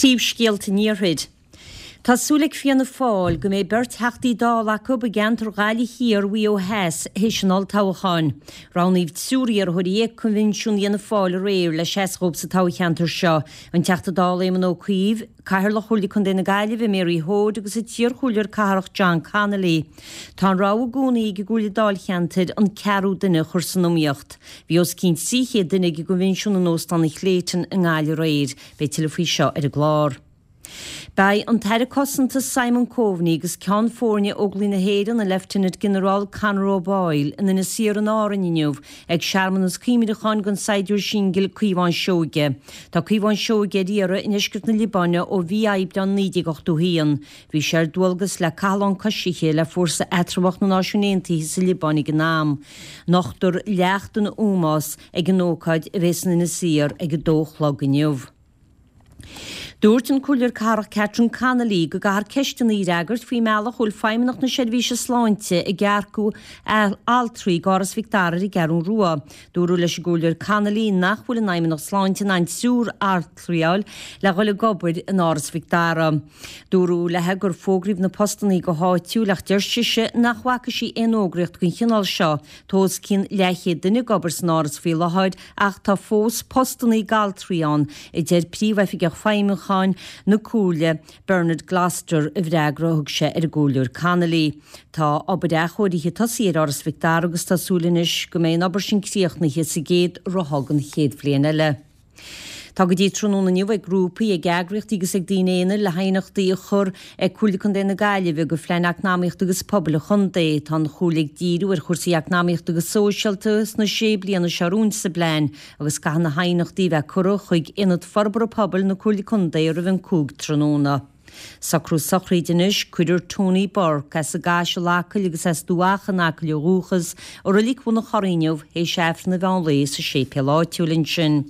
Príomhscéalta an Iarthair. Tá súil ag Fianna Fáil go mbeidh beirt Theachtaí Dála acu i gceantar Ghaillimh Thiar, Mhaigh Eo Theas théis an olltoghcháin. Roghnaíodh triúr iarrthóirí ag Coinbhinsiún Fhianna Fáil aréir le seasamh dhóibh sa toghcheantar seo, an Teachta Dála Éamon Ó Cuív, Cathaoirleach Chomhairle Contae na Gaillimhe, Mary Hoade agus an t-iarchomhairleoir cathrach John Connolly. Tá an rogha i gcónaí ag an gComhairle Dáilcheantair an ceathrú duine a chur san iomaíocht. Bhí os cionn 300 duine ag an gcoinbhinsiún in Óstán an Clayton i nGaillimh aréir. Beidh tuilleadh faoi seo ar an gclár. Beidh an tAire Cosanta Simon Coveney agus Ceann Foirne Óglaigh na hÉireann, an Leifteanant-Ginearál Conor O'Boyle, in Inis Oírr in Árainn inniu ag searmanas cuimhneacháin don saighdiúir singil Caomhán Seoige. Tá Caomhán Seoige ar iarraidh i ndeisceart na Liobáine ó mhí Aibreáin 1981. Bhí sé ar dualgas le cathlán coisithe le Fórsa Eatramhach na Náisiún Aontaithe sa Liobáin ag an am. Nochtfar leacht ina ómós ag an ócáid a bheas in Inis Oírr ag a dó a chlog inniu. Dúirt an Comhairleoir Cathrach Catherine Connolly go gcaithfear ceisteanna a fhreagairt faoin mbealach a bhfuil Feidhmeannacht na Seirbhíse Sláinte ag earcú altraí go Áras Mhic Dara ar an gCeathrú Rua. Dúradh leis an gComhairleoir Connolly nach bhfuil an Fheidhmeannacht Sláinte in ann triúr altraí a fháil le dhul ag obair in Áras Mhic Dara. Dúradh léi gur fógraíodh na postannaí go háitiúil ach deir sise nach bhfaca sí aon fhógraíocht den chineál seo. Tá os cionn leathchéad duine ag obair san Áras faoi láthair Ach tá fós postannaí d'altraí ann, a deir Príomhoifigeach Feidhmiúcháin na Comhairle, Bernard Gloster, i bhfreagra a thug sé ar an gComhairleoir Connolly. Tá obair athchóirithe tosaithe ar Áras Mhic Dara agus tá súil anois go mbeidh an obair sin críochnaithe sa gcéad ráithe den chéad bhliain eile. Tá go dtí tráthnóna inniu ag grúpaí, ag eagraíochtaí agus ag daoine aonair le haighneachtaí a chur ag Comhairle Contae na Gaillimhe do Phlean Eacnamaíochta agus Pobail an Chontae. Tá an Chomhairle ag díriú ar chúrsaí eacnamaíochta agus sóisialta sna sé bliana seo romhainn sa bplean agus caithfidh na haighneachtaí a bheith curtha chuig Ionad Forbartha Pobail na Comhairle Contae roimh an 5 tráthnóna. Socrú sochraide anois, Cuirfear Tony Burke, as an gCaiseal, Acaill agus as Dumha Chaoin in Acaill ó dhúchas, i Reilig Bhun an Chorraigh inniu théis Aifreann an mheán lae sa séipéal áitiúil ansin.